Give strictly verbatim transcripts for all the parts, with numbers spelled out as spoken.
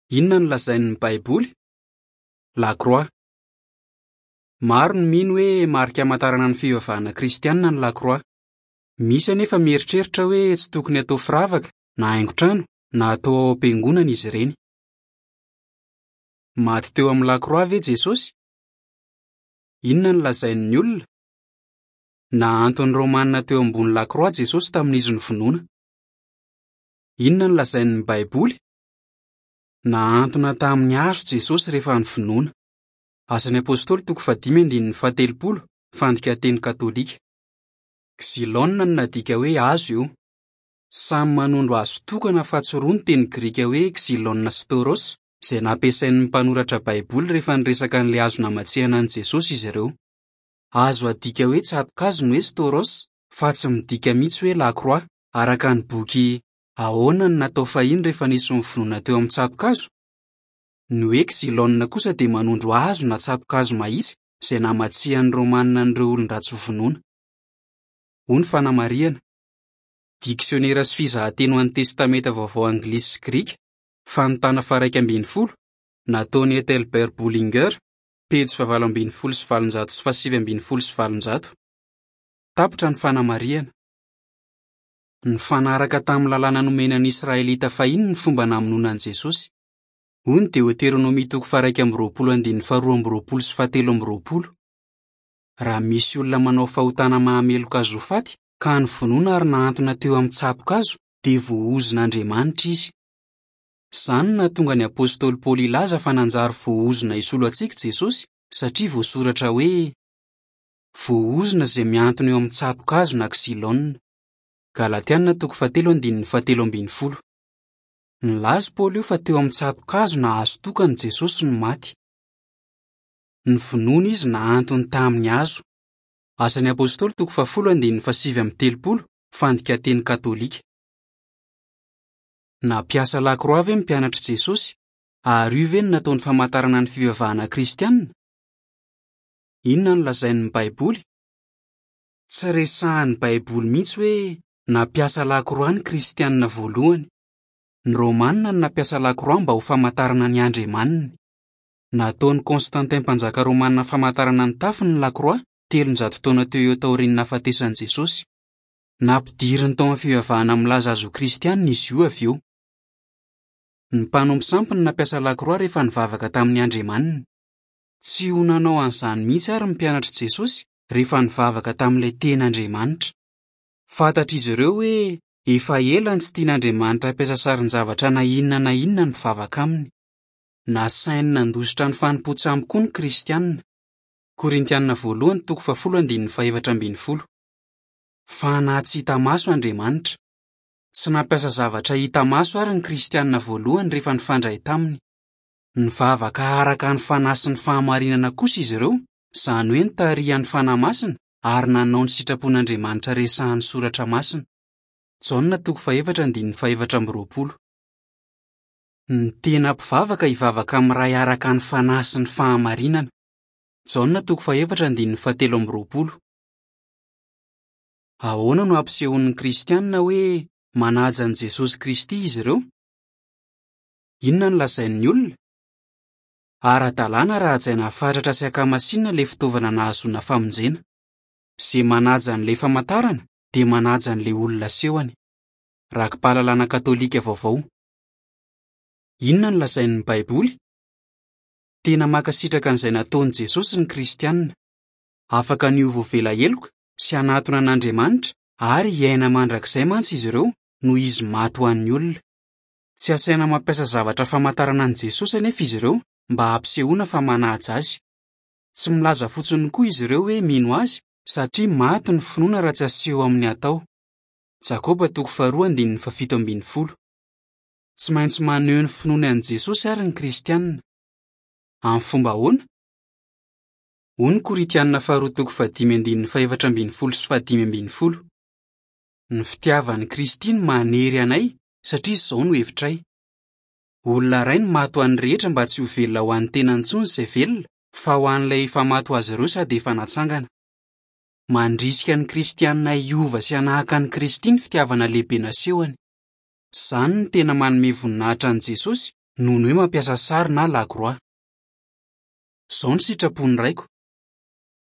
Inona no lazain'ny Baiboly? Lakroa. Maro no mino hoe marika amantarana ny fivavahana kristianina ny lakroa. Misy anefa mieritreritra hoe tsy tokony atao firavaka na haingon-trano na atao ao am-piangonana izy ireny. Maty teo amin'ny lakroa ve Jesosy? Inona no lazain'ny olona? Nahanton'ny Romanina teo ambony lakroa Jesosy tamin'izy novonoina. Inona no lazain'ny Baiboly? Nahantona tamin'ny hazo Jesosy rehefa novonoina. Asan'ny Apostoly toko fahadimy andininy fahatelopolo, fandikan-teny katolika. Xylon no nadika hoe hazo io. Samy manondro hazo tokana fa tsy roa ny teny grika hoe xylon sy stauros, izay nampiasain'ny mpanoratra Baiboly rehefa niresaka an'ilay hazo namatsihana an'i Jesosy izy ireo. Azo adika hoe tsato-kazo ny hoe stauros, fa tsy midika mihitsy hoe lakroa, araka ny boky Ahoana no natao fahiny rehefa nisy novonoina teo amin'ny tsato-kazo? Ny hoe xylon kosa dia manondro hazo na tsato-kazo mahitsy izay namatsihan'ny Romanina an'ireo olon-dratsy vonoina. Hoy ny fanamarihana. Diksionera sy fizahan-teny ho an'ny Testamenta Vaovao anglisy sy grika, fanontana faha-iraika ambin'ny folo, nataon'i Ethelbert Bullinger, pejy fahavalo ambin'ny folo sy valonjato sy fahasivy ambin'ny folo sy valonjato. Tapitra ny fanamarihana. Nifanaraka tamin'ny lalàna nomena ny Israelita fahiny ny fomba namonoana an'i Jesosy. Hoy ny Deoteronomia toko faha-iraika amby roapolo andininy faharoa amby roapolo sy fahatelo amby roapolo. Raha misy olona manao fahotana mahameloka azy ho faty ka novonoina ary nahantona teo amin'ny tsato-kazo, dia voaozon'Andriamanitra izy. Izany no nahatonga ny Apostoly Paoly hilaza fa nanjary voaozona hisolo antsika Jesosy satria voasoratra hoe voaozona izay mihantona eo amin'ny tsato-kazo na xylon. Galatiana toko fahatelo andininy fahatelo ambin'ny folo. Nilaza Paoly io fa teo amin'ny tsato-kazo na hazo tokana Jesosy no maty. Novonoina izy nahantony tamin'ny hazo. Asan'ny Apostoly toko fahafolo andininy fahasivy amby telopolo, fandikan-teny katolika. Nampiasa lakroa ve ny mpianatr'i Jesosy, ary io ve no nataony famantarana ny fivavahana kristianina? Inona no lazain'ny Baiboly? Tsy resahan'ny Baiboly mihitsy hoe nampiasa lakroa ny kristianina voalohany. Ny Romanina no nampiasa lakroa mba ho famantarana ny andriamaniny. Nataon'i Constantin mpanjaka romanina famantarana ny tafiny ny lakroa telonjato taona teo eo taorian'ny nahafatesan'i Jesosy. Nampidiriny tao amin'ny fivavahana milaza azy ho kristianina izy io avy eo. Ny mpanompo sampy no nampiasa lakroa rehefa nivavaka tamin'ny andriamaniny. Tsy ho nanao an'izany mihitsy ary ny mpianatr'i Jesosy rehefa nivavaka tamin'ilay tena Andriamanitra. Fantatr'izy ireo hoe efa ela ny tsy tian'Andriamanitra hampiasa sarin-javatra na inona na inona ny mpivavaka aminy. Nasainy nandositra ny fanompoan-tsampy koa ny kristianina. Korintianina voalohany toko fahafolo andininy fahefatra ambin'ny folo. Fanahy tsy hita maso Andriamanitra. Tsy nampiasa zavatra hita maso ary ny kristianina voalohany rehefa nifandray taminy. Nivavaka araka ny fanahy sy ny fahamarinana kosa izy ireo, izany hoe nitarihan'ny Fanahy Masina ary nanao ny sitrapon'Andriamanitra resahan'ny Soratra Masina. Jaona toko fahefatra andininy fahefatra amby roapolo. Ny tena mpivavaka hivavaka amin'ny Ray araka ny fanahy sy ny fahamarinana. Jaona toko fahefatra andininy fahatelo amby roapolo. Ahoana no ampisehoan'ny kristianina hoe manaja an'i Jesosy Kristy izy ireo? Inona no lazain'ny olona? Ara-dalàna raha hajaina fatratra sy ankamasinina ilay fitaovana nahazoana famonjena. Izay manaja an'ilay famantarana dia manaja an'ilay olona asehony. Raki-pahalalana katolika vaovao. Inona no lazain'ny Baiboly? Tena mankasitraka an'izay nataon'i Jesosy ny kristianina. Afaka ny ho voavela heloka sy hanatona an'Andriamanitra ary hiaina mandrakizay mantsy izy ireo noho izy maty ho an'ny olona. Tsy asaina mampiasa zavatra famantarana an'i Jesosy anefa izy ireo mba hampisehoana fa manaja azy. Tsy milaza fotsiny koa izy ireo hoe mino azy satria maty ny finoana raha tsy aseho amin'ny atao. Jakoba toko faharoa andininy fahafito ambin'ny folo. Tsy maintsy maneho ny finoany an'i Jesosy ary ny kristianina. Amin'ny fomba ahoana? Hoy ny Korintianina faharoa toko fahadimy andininy fahefatra ambin'ny folo sy fahadimy ambin'ny folo. Ny fitiavan'i Kristy no manery anay satria izao no hevitray. Olona iray no maty ho an'ny rehetra mba tsy ho velona ho an'ny tenany intsony izay velona, fa ho an'ilay efa maty ho azy ireo sady efa natsangana. Mandrisika ny kristianina hiova sy hanahaka an'i Kristy ny fitiavana lehibe nasehony. Izany no tena manome voninahitra an'i Jesosy noho ny hoe mampiasa sary na lakroa. Izao no sitrapon'ny Raiko: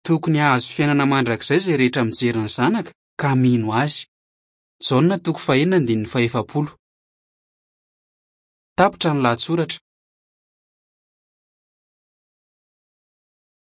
tokony hahazo fiainana mandrakizay izay rehetra mijery ny Zanaka ka mino Azy. Jaona toko fahenina andininy fahefapolo. Tapitra ny lahatsoratra.